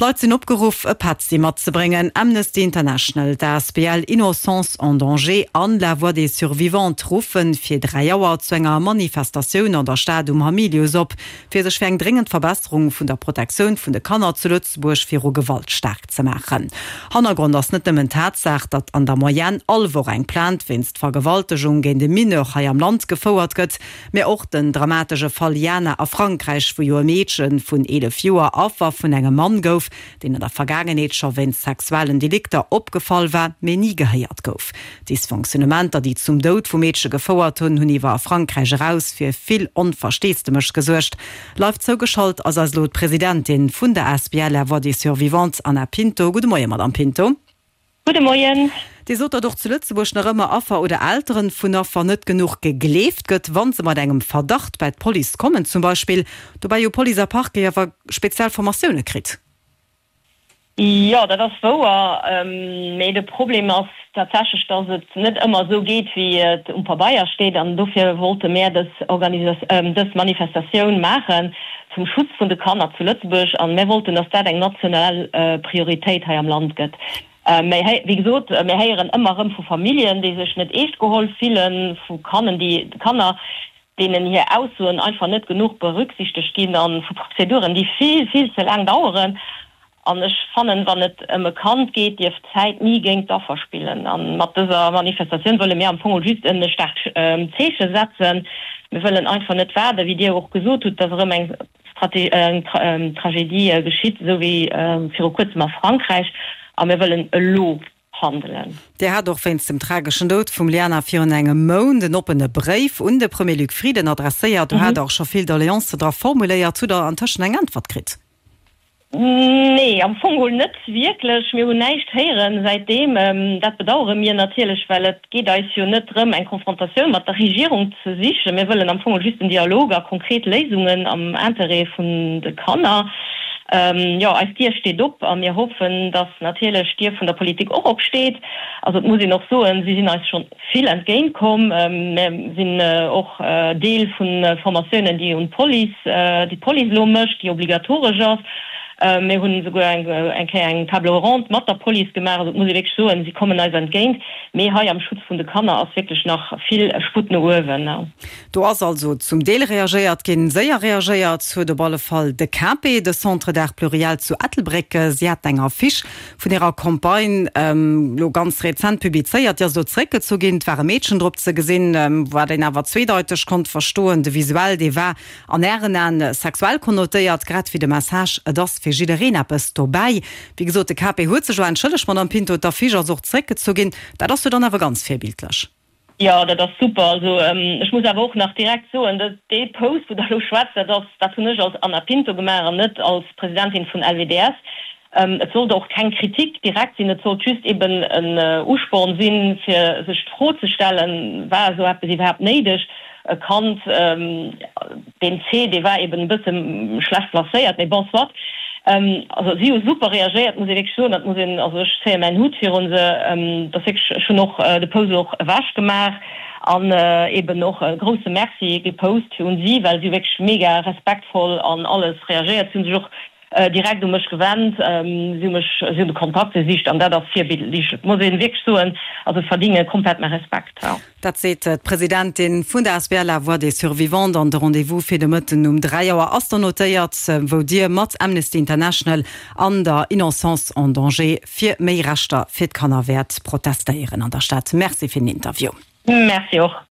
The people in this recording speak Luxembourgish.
D'Leit sinn opgeruff, e Petzi matzebréngen. Amnesty International, d'ASBL Innocence en danger an La Voix des Survivantes ruffe fir 3 Auer zu enger Manifestatioun an der Stad um Hamilius op, fir sech fir eng dréngend Verbesserung vun der Protektioun vun de Kanner zu Lëtzebuerg viru Gewalt staark ze maachen. Hannergrond ass net nëmmen d'Tatsaach, datt an der Moyenne all Woch eng Plainte wéinst Vergewaltegung géint e Mineur hei am Land gefouert gëtt, mä och den dramatesche Fall Jana a Frankräich, wou jo e Meedche vun 11 Joer Affer vun engem Mann gouf, deen an der Vergaangenheet scho wéinst sexuellen Delikter opgefall war, mee ni gehéiert gouf. D'Dysfonctionnementer, déi zum Doud vum Meedche gefouert hunn, hunn iwwer a Frankräich eraus fir vill Onversteesdemech gesuergt. Live zougeschalt ass eis elo d'Presidentin vun der asbl La Voix des Survivantes, Anna Pinto. Gudde Moien, Madamm Pinto. Gudde Moien. Dir sot, datt och zu Lëtzebuerg nach ëmmer Affer oder Elteren vun Affer net genuch gegleeft gëtt, wa se mat engem Verdacht bäi d'Police kommen zum Beispill. Dobäi hu Police a Parquet awer speziell Formatioune kritt. Jo, dat ass wouer. Mee de Problem ass tatsächlech, datt et net ëmmer esou geet, wéi et um Pabeier steet. An dofir wollte mär dës dës Manifestatioun maachen zum Schutz vun de Kanner zu Lëtzebuerg. An mär wollten, datt dat eng national Prioritéit hei am Land gëtt. Mä wéi gesot, mär héieren ëmmer erëm vu Familljen, déi sech net eescht geholl fillen, vu Kannen, déi Kanner, deenen hir Aussoen einfach net genuch berücksichtegt ginn a vu Prozeduren, déi vill, vill ze laang daueren. An ech fannen, wann et ëm e Kand geet, dierf d'Zäit ni géint d'Affer spillen. A mat dëser Manifestatioun wëlle mir am Fong just e staarkt Zeeche setzen. Mir wëllen einfach net waarden, wéi Dir och gesot hutt, dass erëm eng Tragedie geschitt, esou wéi viru kuerzem a Frankräich. A mir wëllen elo handelen. Dir hat och wéinst dem trageschen Doud vum Liana virun engem Mount en oppene Bréif un de Premier Luc Frieden adresséiert. Do hat Der och scho vill Doleancen dra formuléiert. Hutt Der antëschent eng Äntwert kritt? Nee, am Fong geholl net wierklech. Mir hunn näischt héieren säitdeem. Dat bedauere mir natierlech, well et geet eis jo net drëm, eng Konfrontatioun mat der Regierung ze sichen. Mir wëllen am Fong geholl just en Dialog a konkret Léisungen am Interêt vun de Kanner. Jo, eis Dier steet op a mir hoffen, dass natierlech d'Dier vun der Politik och opsteet. Also et muss een och soen, si sinn eis scho vill entgéint komm. Mir sinn och Deel vu Formatiounen, déi un d'Police, déi d'Police elo mécht, déi obligatoresch ass. Mir hunn esouguer eng Kéier eng Table ronde mat der Police gemaach. Also et muss ee wierklech soen, si kommen eis entgéint. Mee hei am Schutz vun de Kanner ass wierklech nach vill Sputt no uewen. Do ass also zum Deel reagéiert ginn. Séier reagéiert huet op alle Fall de CAPE, de Centre d'Art Pluriel zu Ettelbréck. Si haten eng Affiche vun hirer Campagne elo ganz rezent publizéiert. Déi ass elo zeréckgezu ginn. Et war e Meedchen drop ze gesinn, wat een awer zweedeiteg konnt verstoen. De Visuell, dee war an Ären Aen sexuell konnotéiert, grad wéi de Message, et ass fir jiddereen eppes dobäi. Wéi gesot, de CAPE huet sech elo entschëllegt, Madame Pinto. D'Affiche ass och zeréckgezu ginn. Dat ass jo dann awer ganz virbildlech. Jo, dat ass super. Also ech muss awer och nach direkt soen, dee Post, wou Der elo schwätzt, dat ass, dat hunn ech als Anna Pinto gemaach an net als Presidentin vun LWDS. Et sollt och keng Kritik direkt sinn, et sollt just eben en Usporn sinn, fir sech d'Fro ze stellen, War esou eppes iwwerhaapt néideg? E Kand, deen C, dee war eben e bësse schlecht placéiert, mee bon, soit. Also si hu super reagéiert, muss ee wierklech soen. Dat muss een, also ech zéie mäin Hut virun se. Dat ass wierklech, ech hunn och de Post och ewech gemaach an eben och e grousse Merci gepost un si, well si hu wierklech mega respektvoll an alles reagéiert. Si hu sech och direkt u mech gewennt, si hu mech, si hunn de Kontakt gesicht an dat ass virbildlech, muss ee wierklech soen. Also verdinge komplett mäi Respekt. Dat seet d'Presidentin vun der asbl La Voix des Survivantes. An de Rendez-vous fir de Mëtten um 3 Auer ass dann notéiert, wou Dir mat Amnesty International an der Innocence en danger fir méi Rechter fir d'Kanner wäert protestéieren an der Stad. Merci fir den Interview. Merci och.